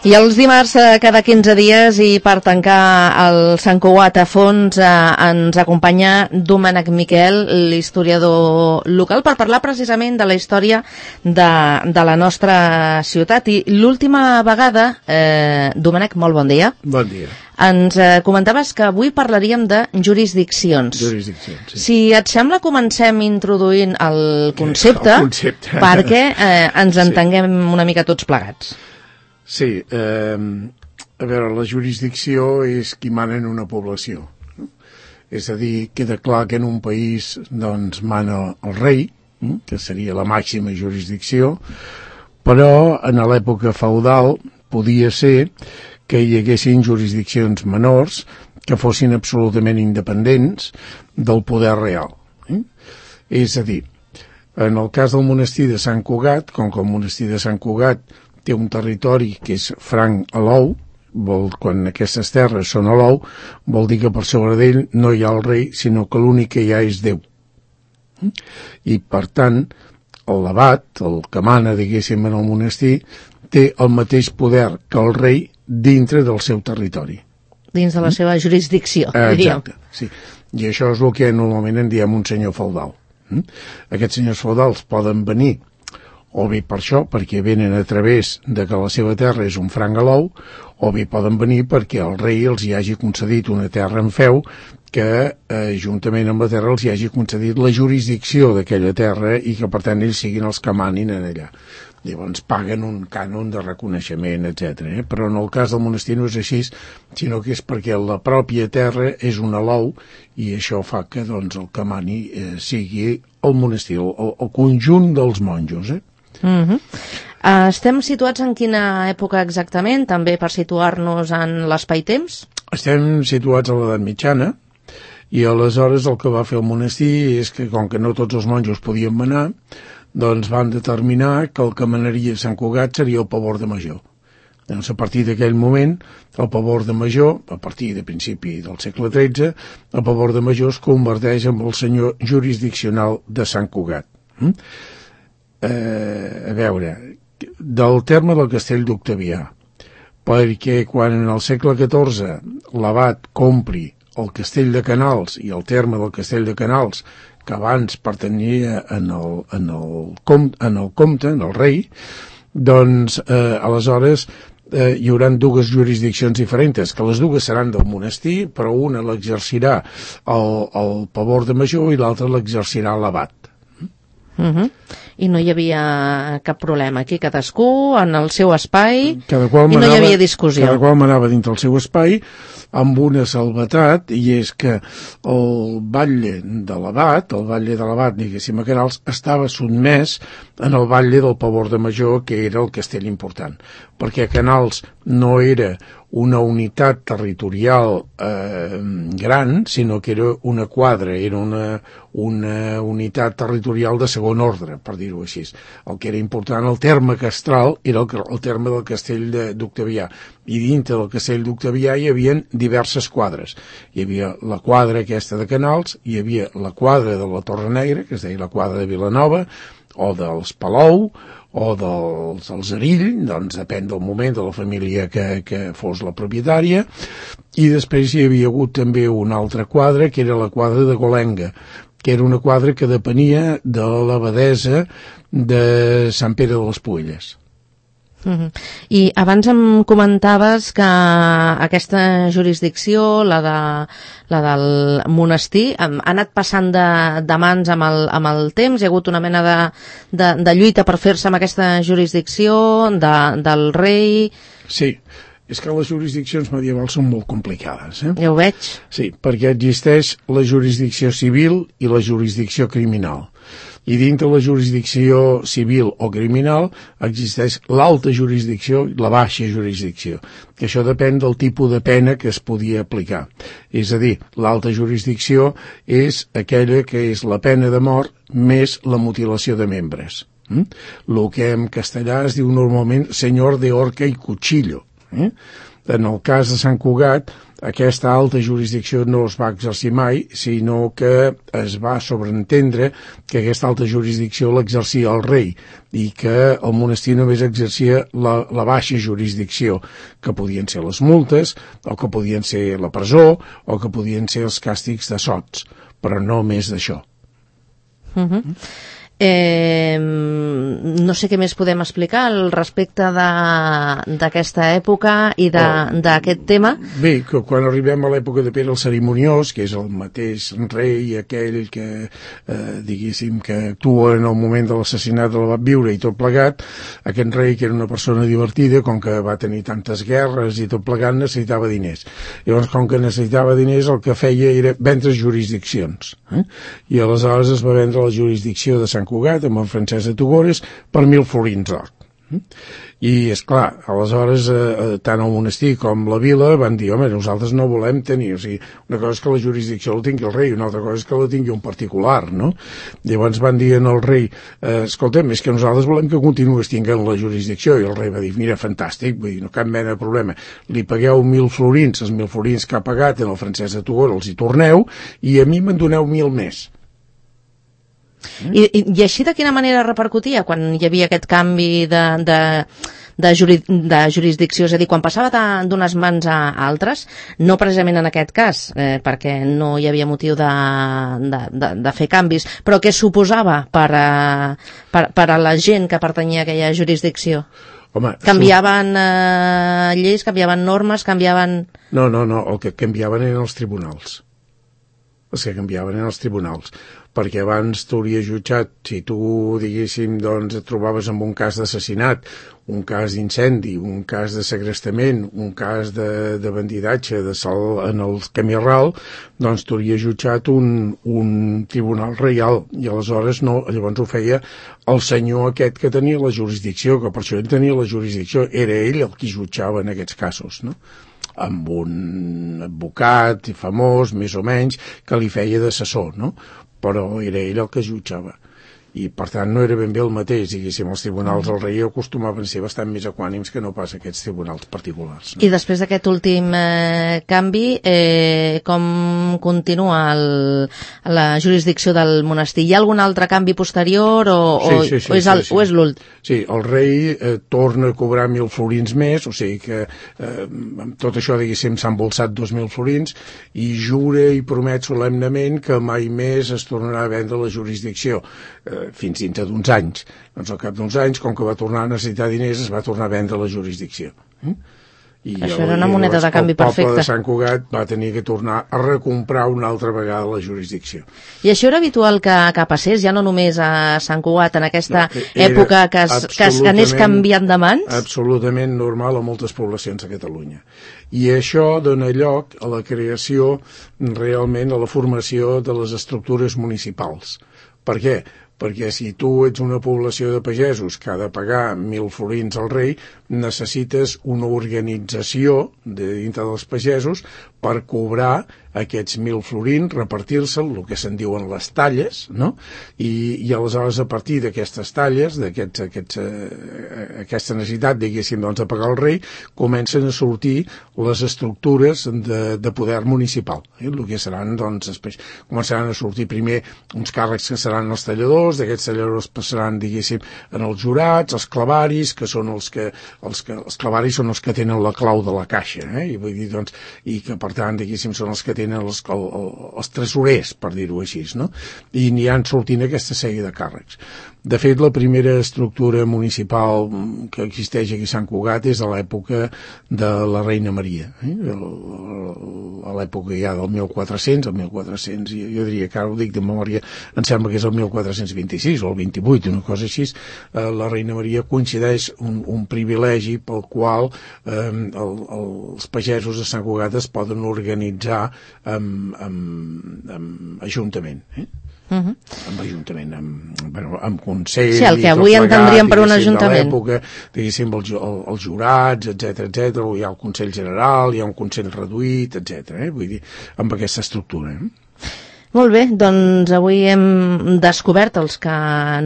I els dimarts cada 15 dies i per tancar el Sant Cugat a fons ens acompanya Domènec Miquel, l'historiador local, per parlar precisament de la història de la nostra ciutat. I l'última vegada, Domènec, molt bon dia. Bon dia. Ens comentaves que avui parlaríem de jurisdiccions. Jurisdiccions, sí. Si et sembla, comencem introduint el concepte, perquè ens entenguem una mica tots plegats. Sí, a veure, la jurisdicció és qui mana en una població. És a dir, queda clar que en un país doncs mana el rei, que seria la màxima jurisdicció, però en l'època feudal podia ser que hi haguessin jurisdiccions menors que fossin absolutament independents del poder real. És a dir, en el cas del monestir de Sant Cugat, com que el monestir de Sant Cugat té un territori que és franc a l'ou, quan aquestes terres són a l'ou, vol dir que per sobre d'ell no hi ha el rei, sinó que l'únic que hi ha és Déu. I, per tant, l'abat, el que mana, diguéssim, en el monestir, té el mateix poder que el rei dintre del seu territori. Dins de la seva jurisdicció, diríem. Exacte, sí. I això és el que normalment en diem un senyor feudal. Aquests senyors feudals poden venir o bé per això, perquè venen a través de que la seva terra és un franc a l'ou, o bé poden venir perquè el rei els hi hagi concedit una terra en feu que, juntament amb la terra, els hi hagi concedit la jurisdicció d'aquella terra i que, per tant, ells siguin els que manin en allà. Llavors paguen un cànon de reconeixement, etc. Però en el cas del monestir no és així, sinó que és perquè la pròpia terra és un alou i això fa que doncs, el que mani sigui el monestir, el conjunt dels monjos. Estem situats en quina època exactament, també per situar-nos en l'espai-temps? Estem situats a l'edat mitjana i aleshores el que va fer el monestir és que, com que no tots els monjos podien manar, doncs van determinar que el que manaria Sant Cugat seria el pavor de major. Doncs a partir d'aquell moment, el pavor de major, a partir de principi del segle XIII, el pavor de major es converteix en el senyor jurisdiccional de Sant Cugat. A veure, del terme del castell d'Octavià, perquè quan en el segle XIV l'abat compri el castell de Canals i el terme del castell de Canals, que abans pertanyia en el comte, en el rei, doncs aleshores hi haurà dues jurisdiccions diferents, que les dues seran del monestir, però una l'exercirà el pavor de major i l'altra l'exercirà l'abat. I no hi havia cap problema aquí, cadascú en el seu espai i no hi havia discussió. Cada qual manava dintre el seu espai amb una salvetat, i és que el batlle de l'abat, diguéssim, a Canals, estava sotmès en el batlle del pavor de major, que era el castell important, perquè Canals no era una unitat territorial gran, sinó que era una quadra, era una unitat territorial de segon ordre, per dir-ho així. El que era important, el terme castral, era el terme del castell d'Octavià, i dintre del castell d'Octavià hi havia diverses quadres. Hi havia la quadra aquesta de Canals, hi havia la quadra de la Torre Negra, que es deia la quadra de Vilanova, o dels Palou, o dels Arill, doncs depèn del moment de la família que fos la propietària, i després hi havia hagut també una altra quadra, que era la quadra de Golenga, que era una quadra que depenia de l'abadesa de Sant Pere de les Puelles. I abans em comentaves que aquesta jurisdicció, la del monestir, ha anat passant de mans amb el temps. Hi ha hagut una mena de lluita per fer-se amb aquesta jurisdicció del rei. Sí, és que les jurisdiccions medievals són molt complicades. Ja ho veig. Sí, perquè existeix la jurisdicció civil i la jurisdicció criminal. I dintre la jurisdicció civil o criminal existeix l'alta jurisdicció i la baixa jurisdicció, que això depèn del tipus de pena que es podia aplicar. És a dir, l'alta jurisdicció és aquella que és la pena de mort més la mutilació de membres. El que en castellà es diu normalment senyor de horca i cuchillo. En el cas de Sant Cugat, aquesta alta jurisdicció no es va exercir mai, sinó que es va sobreentendre que aquesta alta jurisdicció l'exercia el rei i que el monestir només exercia la baixa jurisdicció, que podien ser les multes, o que podien ser la presó, o que podien ser els càstigs de sots, però no més d'això. No sé què més podem explicar al respecte d'aquesta època i d'aquest tema. Bé, que quan arribem a l'època de Pere el Cerimoniós, que és el mateix rei aquell que, diguéssim, que actua en el moment de l'assassinat de l'abat Viure i tot plegat, aquest rei, que era una persona divertida, com que va tenir tantes guerres i tot plegat, necessitava diners. Llavors, com que necessitava diners, el que feia era vendre jurisdiccions. I aleshores es va vendre la jurisdicció de Sant Cugat amb en Francesc de Togores per 1.000 florins d'or. I, esclar, aleshores tant el monestir com la vila van dir, home, nosaltres no volem tenir, o sigui, una cosa és que la jurisdicció la tingui el rei, una altra cosa és que la tingui un particular, no? Llavors van dir al rei, escolta'm, és que nosaltres volem que continuïs tinguent la jurisdicció, i el rei va dir, mira, fantàstic, vull dir, no cap mena de problema, li pagueu 1.000 florins, els 1.000 florins que ha pagat en el Francesc de Togores els hi torneu, i a mi me'n doneu 1.000 més. I així de quina manera repercutia quan hi havia aquest canvi de jurisdicció? És a dir, quan passava d'unes mans a altres, no precisament en aquest cas, perquè no hi havia motiu de fer canvis, però què suposava per a la gent que pertanyia a aquella jurisdicció? Home, canviaven lleis, canviaven normes, canviaven... No, el que canviaven eren els tribunals. Els que canviaven eren els tribunals, perquè abans t'hauria jutjat, si tu, diguéssim, doncs et trobaves amb un cas d'assassinat, un cas d'incendi, un cas de segrestament, un cas de bandidatge, de salt en el camí ral, doncs t'hauria jutjat un tribunal reial, i aleshores no, llavors ho feia el senyor aquest que tenia la jurisdicció, que per això ell tenia la jurisdicció, era ell el qui jutjava en aquests casos, no? Amb un advocat famós, més o menys, que li feia d'assessor, no? Però era ell el que jutjava. I, per tant, no era ben bé el mateix, diguéssim, els tribunals del rei acostumaven a ser bastant més equànims que no pas aquests tribunals particulars. No? I després d'aquest últim canvi, com continua la jurisdicció del monestir? Hi ha algun altre canvi posterior o és l'últim? Sí, el rei torna a cobrar 1.000 florins més, o sigui que amb tot això, diguéssim, s'han embolsat 2.000 florins i jura i promet solemnement que mai més es tornarà a vendre la jurisdicció. Fins dintre d'uns anys. Doncs al cap d'uns anys, com que va tornar a necessitar diners, es va tornar a vendre la jurisdicció. I això era una moneda de canvi perfecta. El poble de Sant Cugat va tenir que tornar a recomprar una altra vegada la jurisdicció. I això era habitual que passés, ja no només a Sant Cugat, en aquesta època que anés canviant de mans? Absolutament normal a moltes poblacions de Catalunya. I això dona lloc a la creació, realment, a la formació de les estructures municipals. Per què? Perquè si tu ets una població de pagesos que ha de pagar 1.000 florins al rei, necessites una organització de dintre dels pagesos per cobrar aquests 1.000 florins, repartir-se'l, el que se'n diuen les talles, no? I aleshores a partir d'aquestes talles, aquesta necessitat, diguéssim, doncs, de pagar el rei, comencen a sortir les estructures de poder municipal. El que seran, doncs, després començaran a sortir primer uns càrrecs que seran els talladors, d'aquests talladors passaran, diguéssim, en els jurats, els clavaris, que són els clavaris són els que tenen la clau de la caixa, i vull dir, doncs, i que per tant, diguéssim, són els que tenen els tresorers, per dir-ho així, no? I n'hi han sortint aquesta sèrie de càrrecs. De fet, la primera estructura municipal que existeix aquí a Sant Cugat és a l'època de la Reina Maria, a l'època ja del 1400, jo diria que ara ho dic de memòria, em sembla que és el 1426 o el 28, una cosa així. La Reina Maria coincideix un privilegi pel qual els pagesos de Sant Cugat es poden organitzar amb ajuntament, amb ajuntament, amb consell, sí, el que avui entendríem per un ajuntament, diguéssim, els jurats, etc, hi ha el Consell General, hi ha un Consell reduït, etc, vull dir, amb aquesta estructura. Molt bé, doncs avui hem descobert, els que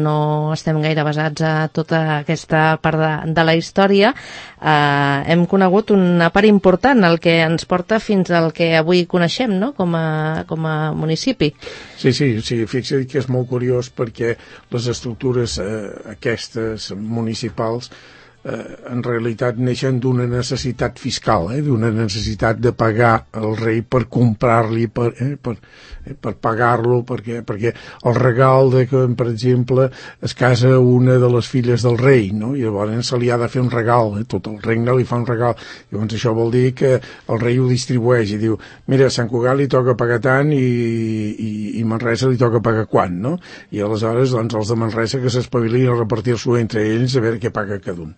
no estem gaire basats a tota aquesta part de la història, hem conegut una part important, el que ens porta fins al que avui coneixem, no?, com a municipi. Sí, fixa't que és molt curiós perquè les estructures aquestes municipals en realitat neixen d'una necessitat fiscal, d'una necessitat de pagar el rei per comprar-li, per pagar-lo, perquè el regal de que, per exemple, es casa una de les filles del rei, no? I llavors se li ha de fer un regal, tot el regne li fa un regal. Llavors això vol dir que el rei ho distribueix i diu, mira, a Sant Cugat li toca pagar tant i Manresa li toca pagar quant, no? I aleshores, doncs, els de Manresa que s'espavilin a repartir-s'ho entre ells a veure què paga cada un.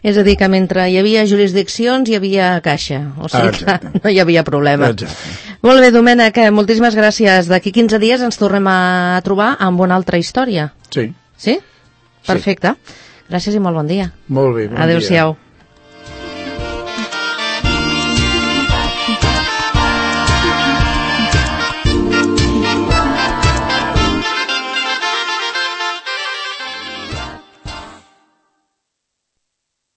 És a dir, que mentre hi havia jurisdiccions hi havia caixa, o sigui que no hi havia problema. Exacte. Molt bé, Domènec, moltíssimes gràcies. D'aquí 15 dies ens tornem a trobar amb una altra història. Sí. Sí? Perfecte. Gràcies i molt bon dia. Molt bé, bon dia. Adéu-siau.